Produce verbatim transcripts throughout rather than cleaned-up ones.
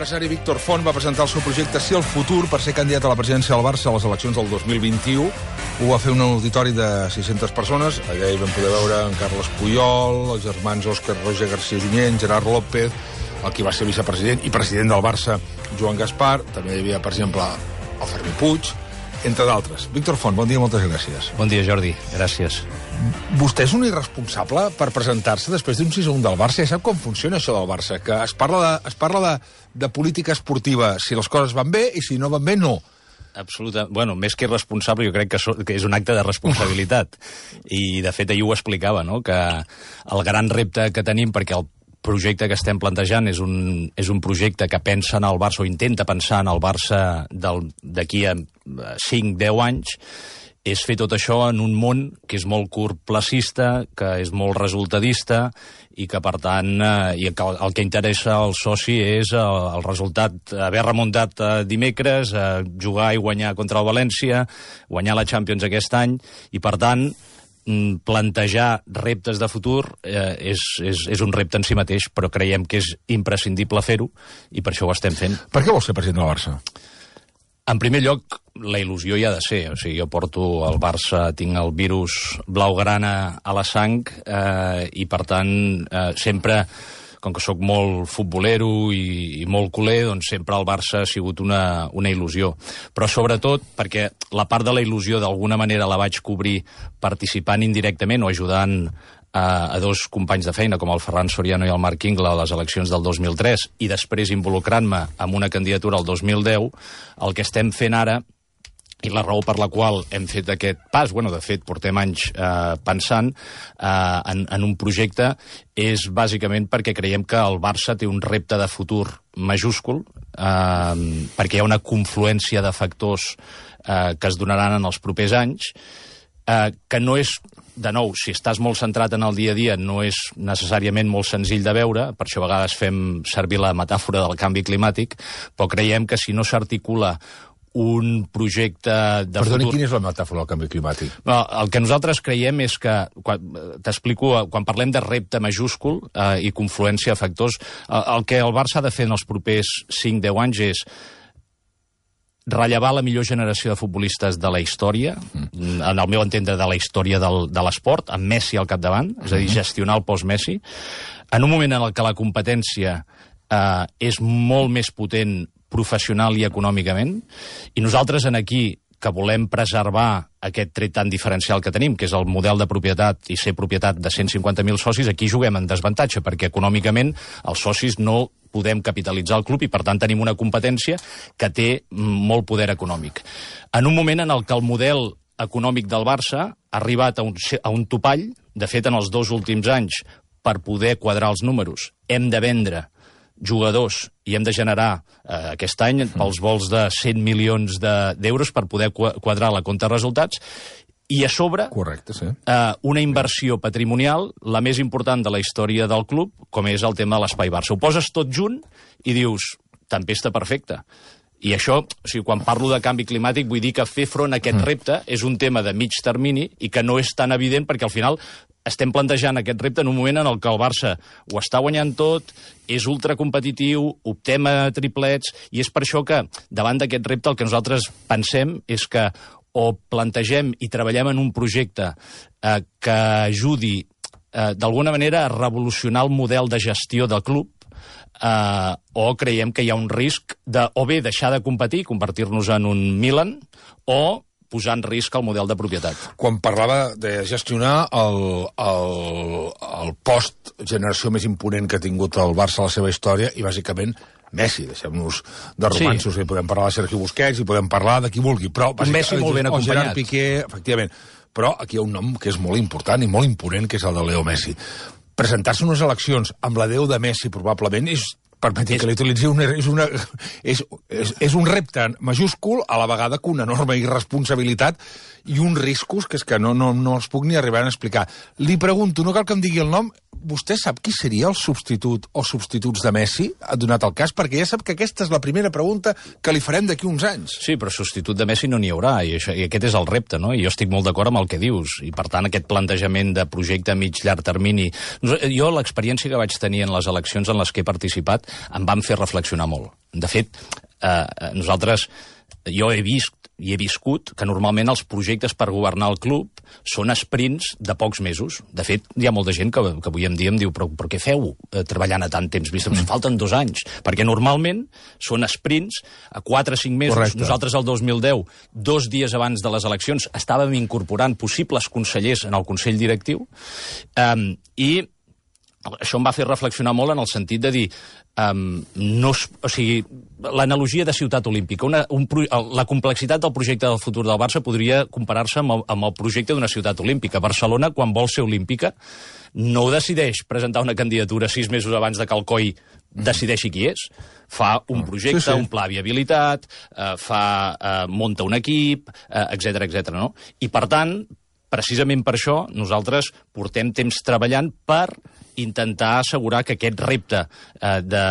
L'empresari Víctor Font va presentar el seu projecte Sí al futur per ser candidat a la presidència del Barça a les eleccions del dos mil vint-i-u. Ho va fer un auditori de sis-centes persones. Allà hi vam poder veure en Carles Puyol, els germans Òscar Roger García Junyent, Gerard López, el qui va ser vicepresident i president del Barça, Joan Gaspar. També hi havia, per exemple, el Fermí Puig, entre d'altres. Víctor Font, bon dia, moltes gràcies. Bon dia, Jordi. Gràcies. Vostè és un irresponsable per presentar-se després d'un sis a un del Barça. Ja sap com funciona això del Barça, que es parla de, es parla de, de política esportiva, si les coses van bé i si no van bé, no. Absoluta. Bueno, més que irresponsable, jo crec que, so, que és un acte de responsabilitat. I, de fet, ahir ho explicava, no?, que el gran repte que tenim, perquè el projecte que estem plantejant és un, és un projecte que pensa en el Barça, o intenta pensar en el Barça d'aquí a cinc a deu anys, és fer tot això en un món que és molt curtplacista, que és molt resultadista i que, per tant, eh, i que el que interessa al soci és el, el resultat, haver remuntat eh, dimecres, eh, jugar i guanyar contra el València, guanyar la Champions aquest any, i, per tant, plantejar reptes de futur eh, és, és, és un repte en si mateix, però creiem que és imprescindible fer-ho i per això ho estem fent. Per què vols ser president del Barça? En primer lloc, la il·lusió hi ha de ser. O sigui, jo porto al Barça, tinc el virus blaugrana a la sang eh, i, per tant, eh, sempre, com que sóc molt futbolero i, i molt culer, doncs sempre el Barça ha sigut una, una il·lusió. Però sobretot perquè la part de la il·lusió d'alguna manera la vaig cobrir participant indirectament o ajudant a, a dos companys de feina, com el Ferran Soriano i el Marc Ingla, a les eleccions del dos mil tres, i després involucrant-me en una candidatura al dos mil deu, el que estem fent ara, i la raó per la qual hem fet aquest pas, bueno, de fet, portem anys eh, pensant eh, en, en un projecte, és bàsicament perquè creiem que el Barça té un repte de futur majúscul, eh, perquè hi ha una confluència de factors eh, que es donaran en els propers anys, eh, que no és, de nou, si estàs molt centrat en el dia a dia, no és necessàriament molt senzill de veure, per això a vegades fem servir la metàfora del canvi climàtic, però creiem que si no s'articula un projecte de Perdoni, futur... quina és la metàfora del canvi climàtic? No, el que nosaltres creiem és que, t'explico, quan parlem de repte majúscul eh, i confluència de factors, el, el que el Barça ha de fer en els propers cinc a deu anys és rellevar la millor generació de futbolistes de la història, mm. en el meu entendre de la història del, de l'esport, amb Messi al capdavant, és a dir, gestionar el post-Messi, en un moment en el que la competència eh, és molt més potent professional i econòmicament, i nosaltres en aquí, que volem preservar aquest tret tan diferencial que tenim, que és el model de propietat i ser propietat de cent cinquanta mil socis, aquí juguem en desavantatge, perquè econòmicament els socis no podem capitalitzar el club i, per tant, tenim una competència que té molt poder econòmic. En un moment en el que el model econòmic del Barça ha arribat a un, a un topall, de fet, en els dos últims anys, per poder quadrar els números, hem de vendre jugadors i hem de generar eh, aquest any pels vols de cent milions d'euros per poder quadrar la compta de resultats, i a sobre Correcte, sí. eh, una inversió patrimonial, la més important de la història del club, com és el tema de l'Espai Barça. Ho poses tot junt i dius, tempesta perfecta. I això, o sigui, quan parlo de canvi climàtic, vull dir que fer front a aquest repte és un tema de mig termini i que no és tan evident, perquè al final estem plantejant aquest repte en un moment en el que el Barça ho està guanyant tot, és ultracompetitiu, optem a triplets, i és per això que, davant d'aquest repte, el que nosaltres pensem és que o plantegem i treballem en un projecte eh, que ajudi eh, d'alguna manera a revolucionar el model de gestió del club, Uh, o creiem que hi ha un risc de o bé deixar de competir, convertir-nos en un Milan, o posar en risc el model de propietat. Quan parlava de gestionar el, el, el post-generació més imponent que ha tingut el Barça a la seva història, i bàsicament Messi, deixem-nos de romanços, sí. I podem parlar de Sergi Busquets, i podem parlar de qui vulgui, però... Un Messi molt ben acompanyat. O Gerard Piqué, efectivament. Però aquí hi ha un nom que és molt important i molt imponent, que és el de Leo Messi. Presentar-se unes eleccions amb la Déu de Messi, probablement, és, permeti és... que l'utilitzi, una, és, una, és, és, és un repte majúscul, a la vegada que una enorme irresponsabilitat i uns riscos que és que no, no, no els puc ni arribar a explicar. Li pregunto, no cal que em digui el nom, vostè sap qui seria el substitut o substituts de Messi, donat el cas? Perquè ja sap que aquesta és la primera pregunta que li farem d'aquí uns anys. Sí, però substitut de Messi no n'hi haurà, i, això, i aquest és el repte, no? I jo estic molt d'acord amb el que dius, i per tant aquest plantejament de projecte a mig-llarg termini... Jo l'experiència que vaig tenir en les eleccions en les que he participat em van fer reflexionar molt. De fet, eh, nosaltres... Jo he vist i he viscut que normalment els projectes per governar el club són sprints de pocs mesos. De fet, hi ha molta gent que, que avui en dia em diu però, però què feu eh, treballant a tant temps? Vist, ens falten dos anys. Perquè normalment són sprints a quatre o cinc mesos. Correcte. Nosaltres el dos mil deu, dos dies abans de les eleccions, estàvem incorporant possibles consellers en el Consell Directiu um, i això em va fer reflexionar molt en el sentit de dir um, no, o sigui, l'analogia de ciutat olímpica, una, un, la complexitat del projecte del futur del Barça podria comparar-se amb, el, amb el projecte d'una ciutat olímpica. Barcelona, quan vol ser olímpica, no ho decideix presentar una candidatura sis mesos abans de que el C O I decideixi qui és. Fa un projecte, sí, sí. un pla de viabilitat, eh, fa, eh, munta un equip, eh, etcètera, etcètera, no? I per tant, precisament per això, nosaltres portem temps treballant per intentar assegurar que aquest repte eh, de,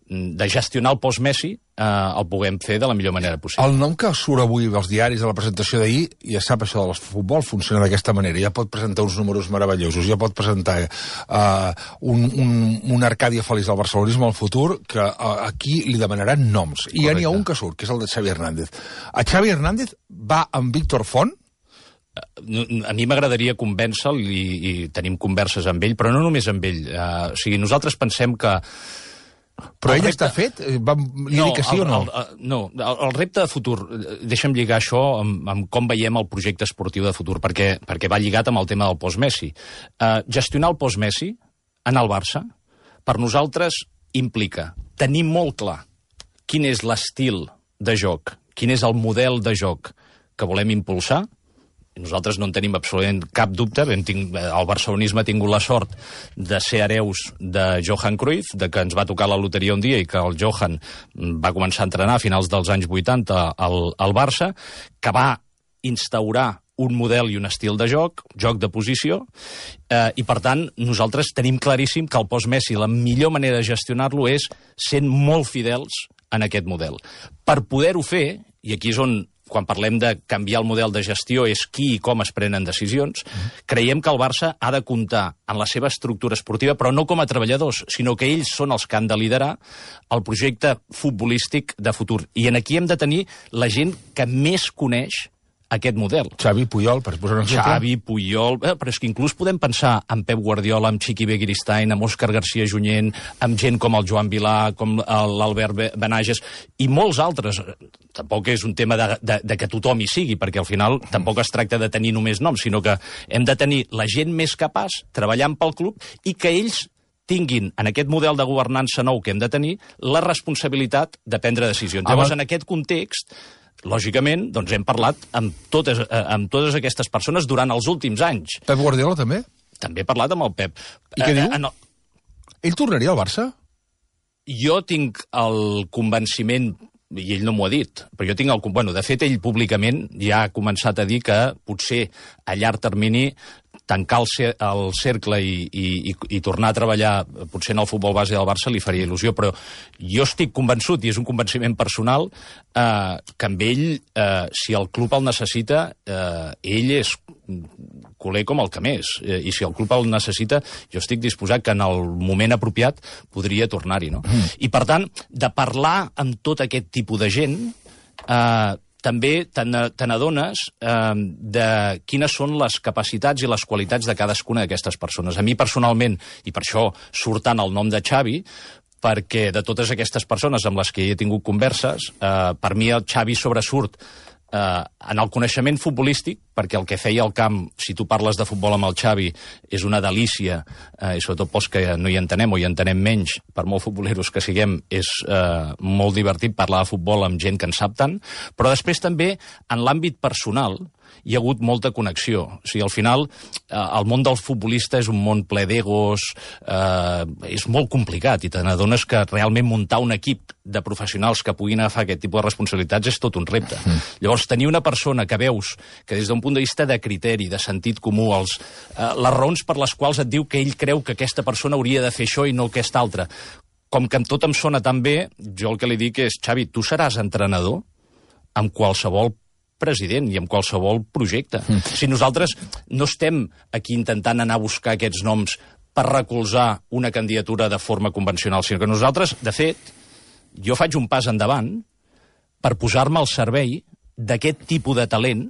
de gestionar el post-Messi eh, el puguem fer de la millor manera possible. El nom que surt avui als diaris de la presentació d'ahir, ja sap, això del futbol funciona d'aquesta manera, ja pot presentar uns números meravellosos, ja pot presentar uh, un, un, un Arcàdia feliç del barcelonisme al futur, que uh, aquí li demanaran noms. I ja n'hi ha un que surt, que és el de Xavi Hernández. A Xavi Hernández va amb Víctor Font. A mi m'agradaria convèncer-lo i, i tenim converses amb ell, però no només amb ell. Uh, o sigui, nosaltres pensem que... Però ell repte... està fet? Va, li no, dic que sí el, o no? El, el, no, el, el repte de futur, deixa'm lligar això amb, amb com veiem el projecte esportiu de futur, perquè, perquè va lligat amb el tema del post-Messi. Uh, gestionar el post-Messi en el Barça, per nosaltres implica tenir molt clar quin és l'estil de joc, quin és el model de joc que volem impulsar. Nosaltres no en tenim absolutament cap dubte. Tinc, el barcelonisme ha tingut la sort de ser hereus de Johan Cruyff, de que ens va tocar la loteria un dia i que el Johan va començar a entrenar a finals dels anys vuitanta al, al Barça, que va instaurar un model i un estil de joc, joc de posició, eh, i per tant nosaltres tenim claríssim que el post-Messi la millor manera de gestionar-lo és sent molt fidels en aquest model. Per poder-ho fer, i aquí és on quan parlem de canviar el model de gestió és qui i com es prenen decisions, mm. creiem que el Barça ha de comptar en la seva estructura esportiva, però no com a treballadors, sinó que ells són els que han de liderar el projecte futbolístic de futur. I en aquí hem de tenir la gent que més coneix aquest model. Xavi, Puyol, per posar un exemple. Xavi, Puyol... Eh, però és que inclús podem pensar en Pep Guardiola, amb Chiqui Begiristain, amb Òscar García Junyent, amb gent com el Joan Vilà, com l'Albert Benages, i molts altres. Tampoc és un tema de, de, de que tothom hi sigui, perquè al final tampoc es tracta de tenir només noms, sinó que hem de tenir la gent més capaç treballant pel club i que ells tinguin, en aquest model de governança nou que hem de tenir, la responsabilitat de prendre decisions. Ah, Llavors, en aquest context, lògicament, doncs hem parlat amb totes, amb totes aquestes persones durant els últims anys. Pep Guardiola també? També he parlat amb el Pep. I què eh, diu? Eh, no. Ell tornaria al Barça? Jo tinc el convenciment, i ell no m'ho ha dit, però jo tinc el... Bueno, de fet, ell públicament ja ha començat a dir que potser a llarg termini tancar el, el cercle i, i, i tornar a treballar potser en el futbol base del Barça li faria il·lusió, però jo estic convençut, i és un convenciment personal, eh, que amb ell, eh, si el club el necessita, eh, ell és culer com el que més, eh, i si el club el necessita, jo estic disposat que en el moment apropiat podria tornar-hi, no? Mm. I per tant, de parlar amb tot aquest tipus de gent, eh, també te n'adones eh, de quines són les capacitats i les qualitats de cadascuna d'aquestes persones. A mi personalment, i per això surt tant el nom de Xavi, perquè de totes aquestes persones amb les que he tingut converses, eh, per mi el Xavi sobresurt eh, en el coneixement futbolístic, perquè el que feia al camp, si tu parles de futbol amb el Xavi, és una delícia, eh, i sobretot pels que no hi entenem o hi entenem menys, per molt futboleros que siguem, és eh, molt divertit parlar de futbol amb gent que en sap tant, però després també, en l'àmbit personal, hi ha hagut molta connexió. O sigui, al final, eh, el món del futbolista és un món ple d'egos, eh, és molt complicat, i te n'adones que realment muntar un equip de professionals que puguin agafar aquest tipus de responsabilitats és tot un repte. Mm. Llavors, tenir una persona que veus que des d'un punt de vista de criteri, de sentit comú, els, eh, les raons per les quals et diu que ell creu que aquesta persona hauria de fer això i no aquesta altra, com que amb tot em sona tan bé, jo el que li dic és, Xavi, tu seràs entrenador amb qualsevol president i amb qualsevol projecte. Mm. Si nosaltres no estem aquí intentant anar a buscar aquests noms per recolzar una candidatura de forma convencional, sinó que nosaltres, de fet, jo faig un pas endavant per posar-me al servei d'aquest tipus de talent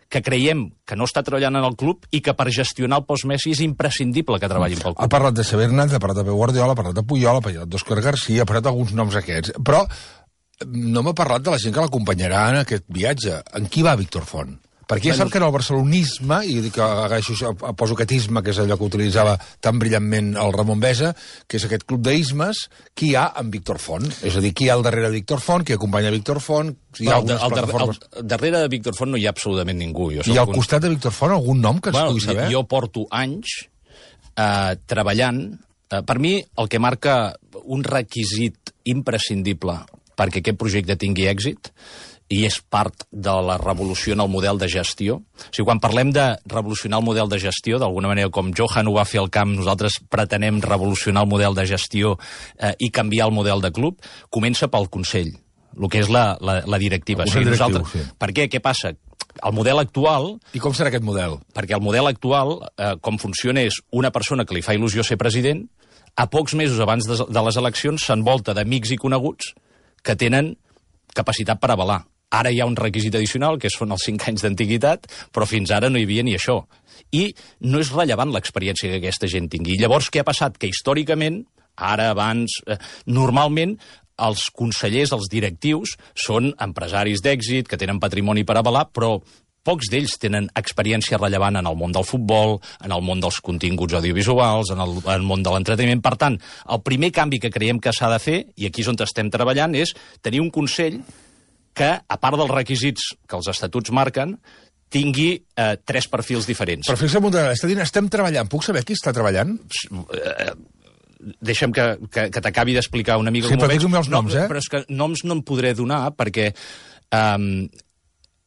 que creiem que no està treballant en el club i que per gestionar el post-Messi és imprescindible que treballin pel club. Ha parlat de Xavi Hernández, ha parlat de Pep Guardiola, ha parlat de Puyol, ha parlat d'Òscar García, ha parlat d'alguns noms aquests. Però no m'ha parlat de la gent que l'acompanyarà en aquest viatge. En qui va Víctor Font? Perquè ja sap que en el barcelonisme, i dic que agaixo, poso aquest isme, que és allò que utilitzava tan brillantment el Ramon Besa, que és aquest club d'ismes, qui hi ha en Víctor Font? És a dir, qui hi ha al darrere de Víctor Font, qui acompanya Víctor Font, hi ha algunes el, plataformes... El, el darrere de Víctor Font no hi ha absolutament ningú. Jo I al un... costat de Víctor Font algun nom que ens bueno, pugui saber? Jo porto anys eh, treballant. Eh, per mi, el que marca un requisit imprescindible perquè aquest projecte tingui èxit i és part de la revolució en el model de gestió. O sigui, quan parlem de revolucionar el model de gestió, d'alguna manera com Johan ho va fer al camp, nosaltres pretenem revolucionar el model de gestió eh, i canviar el model de club, comença pel Consell, el que és la, la, la directiva. El Consell o sigui, directiu, nosaltres, sí. Per què? Què passa? El model actual... I com serà aquest model? Perquè el model actual, eh, com funciona, és una persona que li fa il·lusió ser president, a pocs mesos abans de, de les eleccions s'envolta d'amics i coneguts que tenen capacitat per avalar. Ara hi ha un requisit addicional, que són els cinc anys d'antiguitat, però fins ara no hi havia ni això. I no és rellevant l'experiència que aquesta gent tingui. I llavors, què ha passat? Que històricament, ara, abans, eh, normalment, els consellers, els directius, són empresaris d'èxit, que tenen patrimoni per avalar, però pocs d'ells tenen experiència rellevant en el món del futbol, en el món dels continguts audiovisuals, en el, en el món de l'entreteniment. Per tant, el primer canvi que creiem que s'ha de fer, i aquí és on estem treballant, és tenir un Consell que, a part dels requisits que els estatuts marquen, tingui eh, tres perfils diferents. Però fixa't, està dient, estem treballant. Puc saber qui està treballant? Eh, deixa'm que, que, que t'acabi d'explicar una mica sí, com ho veig. Sí, però els noms, no, eh? Però és que noms no en podré donar, perquè eh,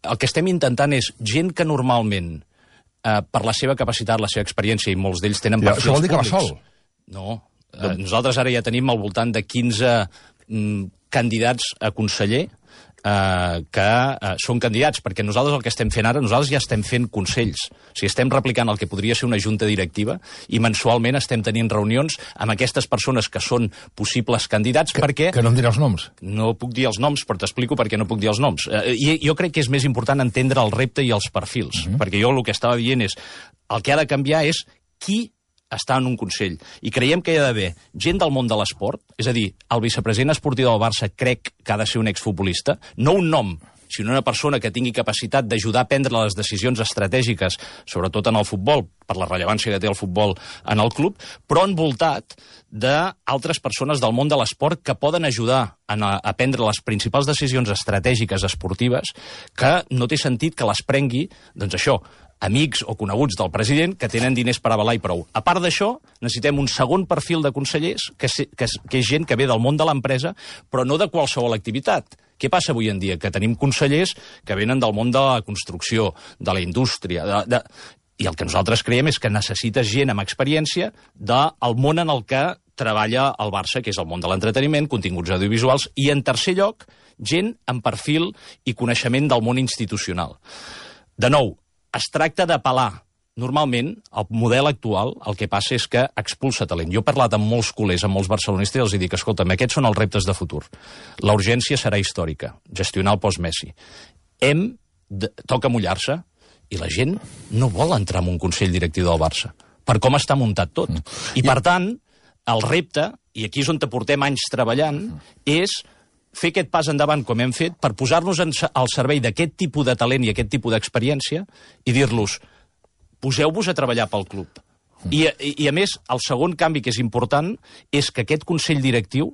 el que estem intentant és gent que normalment, eh, per la seva capacitat, la seva experiència, i molts d'ells tenen perfils públics... Això vol dir que públics. va sol? No. Eh, nosaltres ara ja tenim al voltant de quinze mm, candidats a conseller, Uh, que uh, són candidats, perquè nosaltres el que estem fent ara, nosaltres ja estem fent consells. O sigui, estem replicant el que podria ser una junta directiva i mensualment estem tenint reunions amb aquestes persones que són possibles candidats, que, perquè... Que no em dirà els noms? No puc dir els noms, però t'explico per què no puc dir els noms. Uh, i jo crec que és més important entendre el repte i els perfils, uh-huh. perquè jo el que estava dient és, el que ha de canviar és qui està en un Consell. I creiem que hi ha d'haver gent del món de l'esport, és a dir, el vicepresident esportiu del Barça crec que ha de ser un exfutbolista, no un nom, sinó una persona que tingui capacitat d'ajudar a prendre les decisions estratègiques, sobretot en el futbol, per la rellevància que té el futbol en el club, però envoltat d'altres persones del món de l'esport que poden ajudar a, a prendre les principals decisions estratègiques esportives, que no té sentit que les prengui, doncs això, amics o coneguts del president que tenen diners per avalar i prou. A part d'això, necessitem un segon perfil de consellers, que és, que és, que és gent que ve del món de l'empresa, però no de qualsevol activitat. Què passa avui en dia? Que tenim consellers que venen del món de la construcció, de la indústria, de, de... i el que nosaltres creiem és que necessites gent amb experiència del món en el que treballa el Barça, que és el món de l'entreteniment, continguts audiovisuals, i en tercer lloc, gent amb perfil i coneixement del món institucional. De nou, es tracta d'apel·lar. Normalment, el model actual, el que passa és que expulsa talent. Jo he parlat amb molts culers, amb molts barcelonistes, i els dic, escolta'm, aquests són els reptes de futur. La urgència serà històrica, gestionar el post-Messi. Hem de... Toca mullar-se, i la gent no vol entrar en un Consell directiu del Barça, per com està muntat tot. I, per tant, el repte, i aquí és on te portem anys treballant, és fer aquest pas endavant, com hem fet, per posar-nos al servei d'aquest tipus de talent i aquest tipus d'experiència i dir-los, poseu-vos a treballar pel club. I, i, I, a més, el segon canvi que és important és que aquest Consell Directiu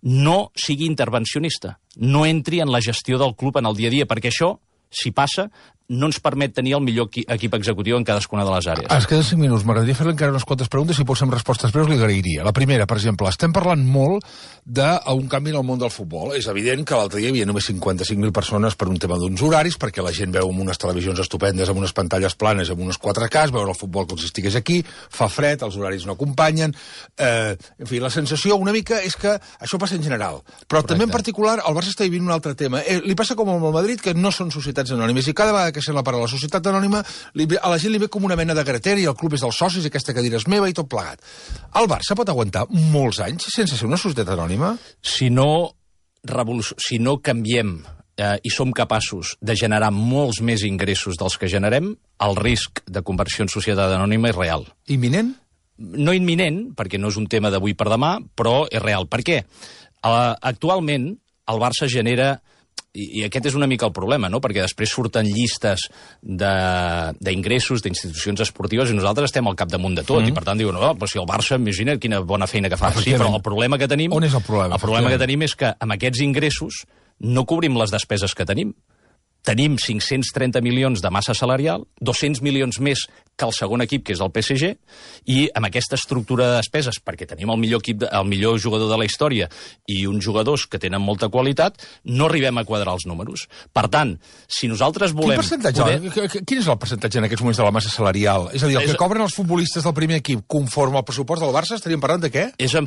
no sigui intervencionista, no entri en la gestió del club en el dia a dia, perquè això, si passa, no ens permet tenir el millor equip executiu en cadascuna de les àrees. Es queden cinc minuts. M'agradaria fer-li encara unes quantes preguntes. Si posem respostes breus, li agrairia. La primera, per exemple, estem parlant molt d'un canvi en el món del futbol. És evident que l'altre dia hi havia només cinquanta-cinc mil persones per un tema d'uns horaris, perquè la gent veu amb unes televisions estupendes, amb unes pantalles planes, amb unes quatre K, veure el futbol com si estigués aquí, fa fred, els horaris no acompanyen. Eh, en fi, la sensació una mica és que això passa en general. Però Correcte. També en particular el Barça està vivint un altre tema. Eh, li passa com amb el Madrid, que no són societats anònimes, i cada vegada que sent la part de la societat anònima, ve, a la gent li ve com una mena de gratera i el club és dels socis, aquesta cadira és meva i tot plegat. El Barça pot aguantar molts anys sense ser una societat anònima? Si no, revoluc... si no canviem eh, i som capaços de generar molts més ingressos dels que generem, el risc de conversió en societat anònima és real. Imminent? No imminent, perquè no és un tema d'avui per demà, però és real. Per què? Uh, actualment, el Barça genera... I, i aquest és una mica el problema, no? Perquè després surten llistes d'ingressos d'institucions esportives i nosaltres estem al capdamunt de tot, mm -hmm. i per tant diuen, oh, però si el Barça, imagina quina bona feina que fa. Sí, però el problema que tenim... On és el problema? El problema que tenim és que amb aquests ingressos no cobrim les despeses que tenim. Tenim cinc-cents trenta milions de massa salarial, dos-cents milions més que el segon equip, que és el P S G, i amb aquesta estructura de despeses, perquè tenim el millor, equip, el millor jugador de la història i uns jugadors que tenen molta qualitat, no arribem a quadrar els números. Per tant, si nosaltres volem... Quin percentatge? Poder... Quin és el percentatge en aquests moments de la massa salarial? És a dir, el és... que cobren els futbolistes del primer equip conforme al pressupost del Barça, estaríem parlant de què? És en...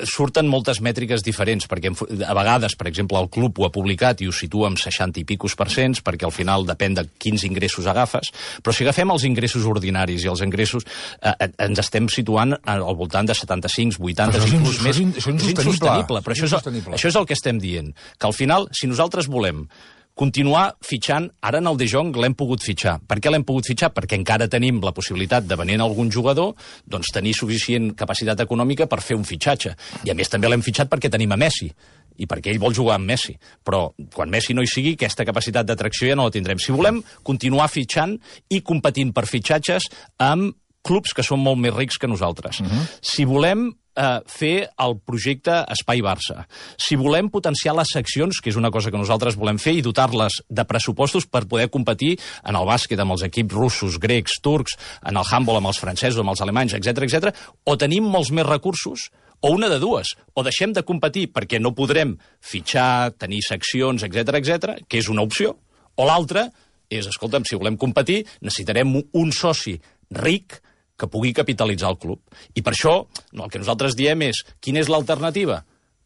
Surten moltes mètriques diferents, perquè a vegades, per exemple, el club ho ha publicat i ho situa amb seixanta i picos per cent, perquè al final depèn de quins ingressos agafes, però si agafem els ingressos ordinaris i els ingressos, eh, ens estem situant al voltant de setanta-cinc, vuitanta, inclús més. Això és insostenible. Però això és, això és el que estem dient, que al final, si nosaltres volem continuar fitxant, ara en el De Jong l'hem pogut fitxar. Per què l'hem pogut fitxar? Perquè encara tenim la possibilitat de venir algun jugador, doncs tenir suficient capacitat econòmica per fer un fitxatge. I a més també l'hem fitxat perquè tenim a Messi, i perquè ell vol jugar amb Messi. Però quan Messi no hi sigui, aquesta capacitat d'atracció ja no la tindrem. Si volem continuar fitxant i competint per fitxatges amb clubs que són molt més rics que nosaltres. Uh-huh. Si volem eh, fer el projecte Espai Barça, si volem potenciar les seccions, que és una cosa que nosaltres volem fer, i dotar-les de pressupostos per poder competir en el bàsquet amb els equips russos, grecs, turcs, en el handball amb els francesos, amb els alemanys, etcètera, etcètera, o tenim molts més recursos, o una de dues, o deixem de competir perquè no podrem fitxar, tenir seccions, etcètera, etcètera, que és una opció, o l'altra és, escolta'm, si volem competir, necessitarem un soci ric que pugui capitalitzar el club. I per això, no, el que nosaltres diem és, quina és l'alternativa?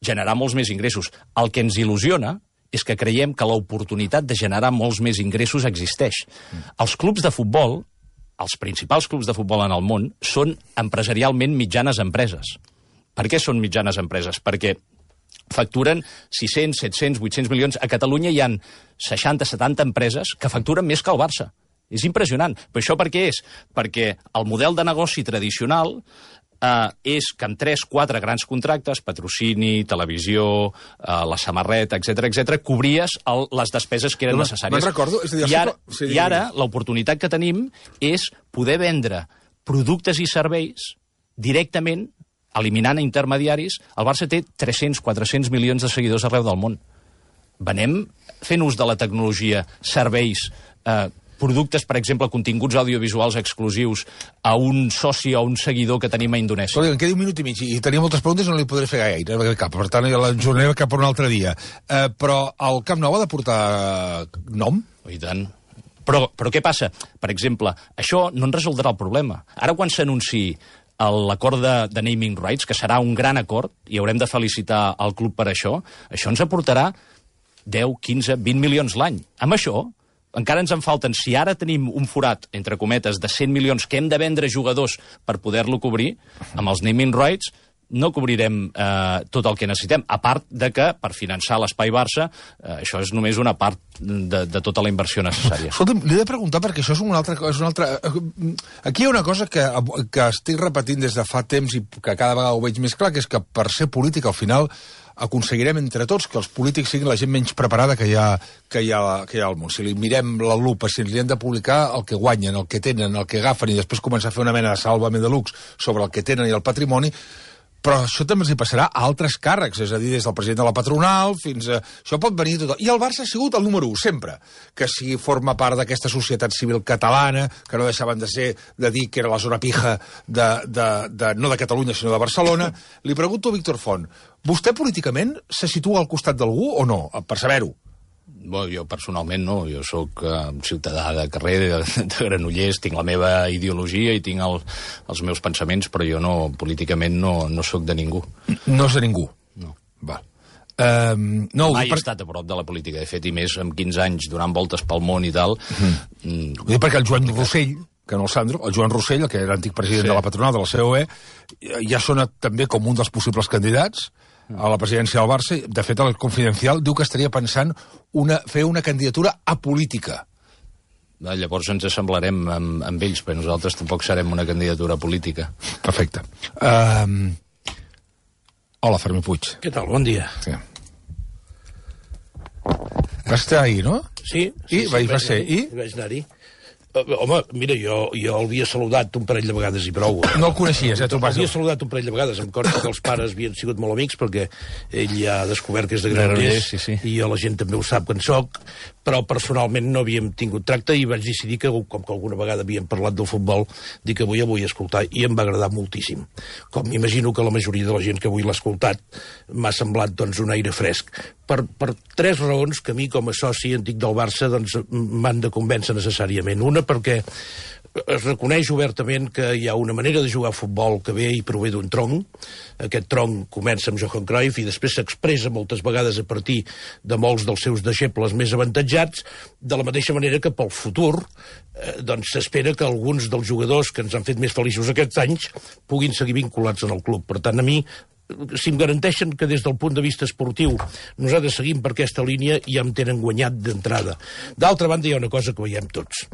Generar molts més ingressos. El que ens il·lusiona és que creiem que l'oportunitat de generar molts més ingressos existeix. Mm. Els clubs de futbol, els principals clubs de futbol en el món, són empresarialment mitjanes empreses. Per què són mitjanes empreses? Perquè facturen sis-cents, set-cents, vuit-cents milions. A Catalunya hi ha seixanta setanta empreses que facturen més que el Barça. És impressionant. Però això per què és? Perquè el model de negoci tradicional eh, és que amb tres quatre grans contractes, patrocini, televisió, eh, la samarreta, etcètera, etcètera, cobries el, les despeses que eren no, necessàries. Me'n recordo. És a dir, I ara, sí, i ara l'oportunitat que tenim és poder vendre productes i serveis directament, eliminant intermediaris. El Barça té tres-cents quatre-cents milions de seguidors arreu del món. Venem fent ús de la tecnologia, serveis, eh, productes, per exemple, continguts audiovisuals exclusius a un soci o un seguidor que tenim a Indonèsia. Però em queda un minut i mig i tenia moltes preguntes i no li podré fer gaire cap, per tant l'enjornaré cap per un altre dia. Eh, però el Camp Nou ha de portar nom? Oh, i tant. Però, però què passa? Per exemple, això no en resoldrà el problema. Ara quan s'anunciï l'acord de, de naming rights, que serà un gran acord, i haurem de felicitar el club per això, això ens aportarà deu, quinze, vint milions l'any. Amb això encara ens en falten, si ara tenim un forat, entre cometes, de cent milions que hem de vendre jugadors per poder-lo cobrir, amb els naming rights no cobrirem eh, tot el que necessitem, a part de que, per finançar l'Espai Barça, eh, això és només una part de, de tota la inversió necessària. Escolta'm, li he de preguntar, perquè això és una altra cosa. Una altra... Aquí hi ha una cosa que, que estic repetint des de fa temps i que cada vegada ho veig més clar, que és que per ser polític, al final, aconseguirem entre tots que els polítics siguin la gent menys preparada que hi ha, que hi ha, que hi ha al món. Si li mirem la lupa, si li hem de publicar el que guanyen, el que tenen, el que agafen, i després començar a fer una mena de sàlvame de luxe sobre el que tenen i el patrimoni, Però això també els hi passarà a altres càrrecs, és a dir, des del president de la patronal fins a... Això pot venir tot. I el Barça ha sigut el número u, sempre. Que si forma part d'aquesta societat civil catalana, que no deixaven de ser, de dir que era la zona pija de, de, de, no de Catalunya, sinó de Barcelona. Li pregunto a Víctor Font, vostè políticament se situa al costat d'algú o no? Per saber-ho. Bueno, jo personalment no, jo sóc uh, ciutadà de carrer, de, de Granollers, tinc la meva ideologia i tinc el, els meus pensaments, però jo no, políticament no, no sóc de ningú. No és de ningú? No. Val. Um, no, Mai per... he estat a prop de la política, de fet, i més amb quinze anys, donant voltes pel món i tal. Mm. Mm. Ho dic perquè el Joan Rossell, que no el Sandro, el Joan Rossell, que era antic president sí. de la patronal de la C O E, ja sona també com un dels possibles candidats a la presidència del Barça. De fet, el Confidencial diu que estaria pensant una, fer una candidatura apolítica. Llavors ens assemblarem amb, amb ells, però nosaltres tampoc serem una candidatura política. Perfecte. Um... Hola, Fermí Puig. Què tal? Bon dia. Sí. Va estar ahir, no? Sí. I? sí, Va, sí va ser, i? Vaig anar-hi. Home, mira, jo, jo l'havia saludat un parell de vegades i prou. No el coneixies, eh? L'havia saludat un parell de vegades. Em consta que els pares havien sigut molt amics perquè ell ja ha descobert que és de Granollers sí, sí. i jo la gent també ho sap que en soc, però personalment no havíem tingut tracte i vaig decidir que, com que alguna vegada havíem parlat del futbol, dic que avui el vull escoltar i em va agradar moltíssim. Com m'imagino que la majoria de la gent que avui l'ha escoltat m'ha semblat doncs, un aire fresc. Per, per tres raons que a mi, com a soci antic del Barça, doncs, m'han de convèncer necessàriament. Una, perquè es reconeix obertament que hi ha una manera de jugar a futbol que ve i prové d'un tronc. Aquest tronc comença amb Johan Cruyff i després s'expressa moltes vegades a partir de molts dels seus deixebles més avantatjats, de la mateixa manera que pel futur eh, doncs s'espera que alguns dels jugadors que ens han fet més feliços aquests anys puguin seguir vinculats en el club. Per tant, a mi, si em garanteixen que des del punt de vista esportiu nosaltres seguim per aquesta línia, ja em tenen guanyat d'entrada. D'altra banda, hi ha una cosa que veiem tots.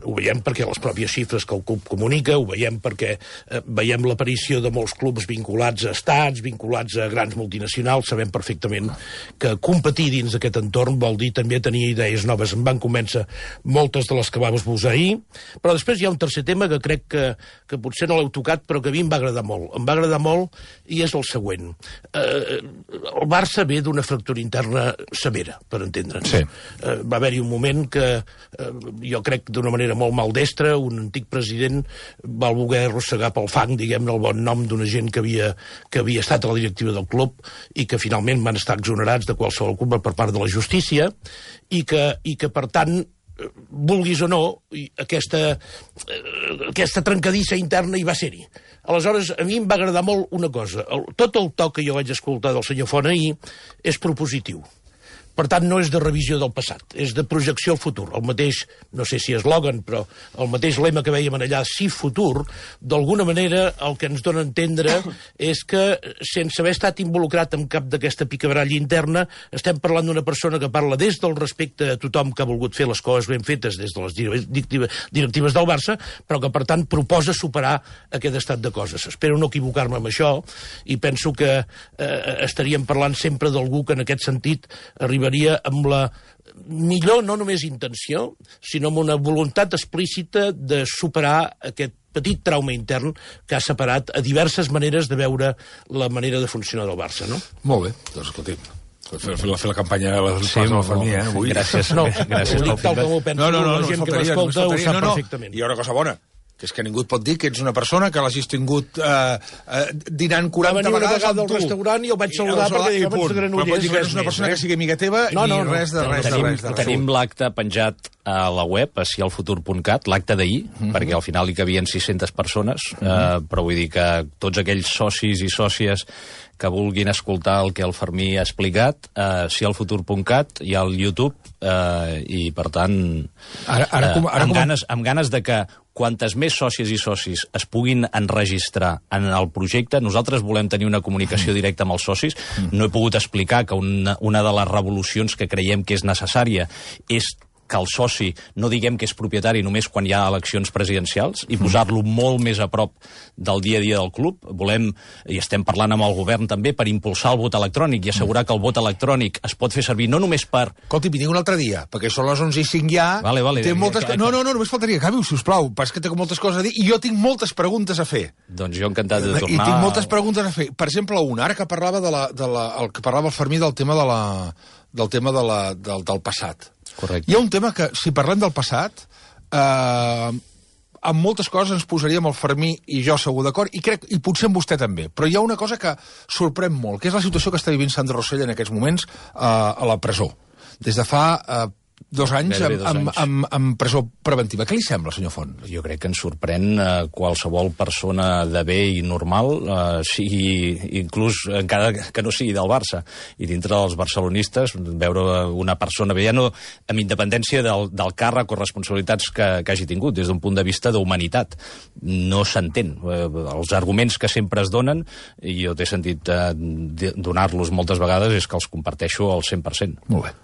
Ho veiem perquè les pròpies xifres que el club comunica, ho veiem perquè eh, veiem l'aparició de molts clubs vinculats a estats, vinculats a grans multinacionals. Sabem perfectament que competir dins d'aquest entorn vol dir també tenir idees noves. Em van convèncer moltes de les que vam esbosar ahir, però després hi ha un tercer tema que crec que, que potser no l'heu tocat, però que a mi em va agradar molt. Em va agradar molt i és el següent. Eh, el Barça ve d'una fractura interna severa, per entendre'ns. Sí. Eh, va haver-hi un moment que eh, jo crec d'una manera molt maldestra, un antic president va voler arrossegar pel fang, diguem-ne, el bon nom d'una gent que havia, que havia estat a la directiva del club i que finalment van estar exonerats de qualsevol culpa per part de la justícia i que, i que per tant, vulguis o no, aquesta, aquesta trencadissa interna hi va ser-hi. Aleshores, a mi em va agradar molt una cosa. El, tot el to que jo vaig escoltar del senyor Font ahir és propositiu. Per tant, no és de revisió del passat, és de projecció al futur. El mateix, no sé si eslògan, però el mateix lema que veiem allà, sí futur, d'alguna manera el que ens dona a entendre és que, sense haver estat involucrat en cap d'aquesta picabaralla interna, estem parlant d'una persona que parla des del respecte a tothom que ha volgut fer les coses ben fetes des de les directives del Barça, però que, per tant, proposa superar aquest estat de coses. Espero no equivocar-me amb això i penso que eh, estaríem parlant sempre d'algú que en aquest sentit arriba amb la millor, no només intenció, sinó amb una voluntat explícita de superar aquest petit trauma intern que ha separat a diverses maneres de veure la manera de funcionar del Barça, no? Molt bé, doncs escolti'm. Fer, fer, fer la campanya de les sí, no, no, eh? Avui. Gràcies. No, gràcies ho dic tal com ho penso, no, no, no, la gent no, que m'escolta ho sap no, no. perfectament. Hi ha una cosa bona, que és que ningú et pot dir que ets una persona que l'hagis tingut eh, eh, dinant quaranta vegades amb tu. Va venir una vegada al restaurant i el vaig saludar perquè deia que ets Granollers. Però pot dir que ets una persona que sigui amiga teva no, no, ni res de res de tenim, res. De res. Tenim l'acte penjat a la web, a sialfutur punt cat, l'acte d'ahir, mm -hmm. perquè al final hi cabien sis-centes persones, mm -hmm. eh, però vull dir que tots aquells socis i sòcies que vulguin escoltar el que el Fermí ha explicat, eh, sialfutur punt cat, hi ha el YouTube, eh, i per tant, ara, ara, com, ara, amb, com... ganes, amb ganes de que quantes més sòcies i socis es puguin enregistrar en el projecte, nosaltres volem tenir una comunicació directa amb els socis. No he pogut explicar que una, una de les revolucions que creiem que és necessària és que el soci no diguem que és propietari només quan hi ha eleccions presidencials i posar-lo molt més a prop del dia a dia del club. Volem, i estem parlant amb el govern també, per impulsar el vot electrònic i assegurar que el vot electrònic es pot fer servir no només per... Escolti, vinc un altre dia, perquè són les onze i cinc ja... Vale, vale. Té moltes... No, no, no, només faltaria. Acabi-ho, sisplau, perquè té moltes coses a dir i jo tinc moltes preguntes a fer. Doncs jo encantat de tornar... I tinc moltes preguntes a fer. Per exemple, una, ara que parlava de la, de la, el que parlava el Fermí del tema de la, del tema de la, del, del passat. Correcte. Hi ha un tema que, si parlem del passat, eh, amb moltes coses ens posaríem el Fermí i jo segur d'acord, i crec, i potser amb vostè també. Però hi ha una cosa que sorprèn molt, que és la situació que està vivint Sandro Rosell en aquests moments eh, a la presó. Des de fa... Eh, Dos anys, amb, dos amb, anys. amb, amb presó preventiva. Què li sembla, senyor Font? Jo crec que ens sorprèn eh, qualsevol persona de bé i normal, eh, sigui, inclús encara que no sigui del Barça, i dintre dels barcelonistes, veure una persona bé, ja no amb independència del, del càrrec o responsabilitats que, que hagi tingut, des d'un punt de vista d'humanitat. No s'entén. Eh, els arguments que sempre es donen, i jo t'he sentit eh, donar-los moltes vegades, és que els comparteixo al cent per cent. Molt bé.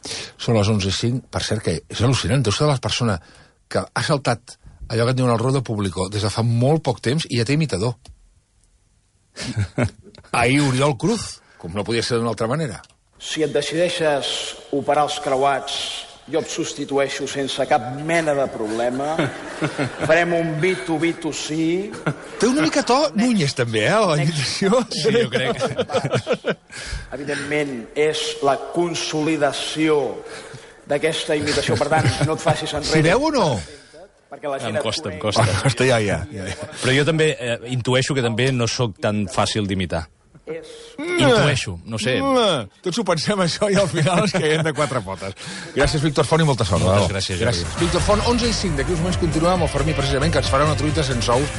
Són les onze i cinc, per cert, que és al·lucinant. Deu ser de les persones que ha saltat allò que et diuen al Rodo Público des de fa molt poc temps i ja té imitador. Ahir Oriol Cruz, com no podia ser d'una altra manera. Si et decideixes operar els creuats, jo et substitueixo sense cap mena de problema. Farem un B dos B dos C. Té una mica to Núñez, també, eh, la imitació. Sí, jo crec. Evidentment, és la consolidació d'aquesta imitació. Per tant, no et facis enrere. Si veu o no? Perquè la gent Em costa, em costa. Em costa, ja, ja. ja. Però jo també eh, intueixo que també no sóc tan fàcil d'imitar. És... Intueixo, no sé. Tots ho pensem això i al final ens caiem de quatre potes. Gràcies, Víctor Font, i molta sort. Moltes bravo. gràcies, Jordi. Gràcies. Víctor Font, onze i cinc. D'aquí uns moments continuem amb el Fermí, precisament, que ens farà una truita sense ous.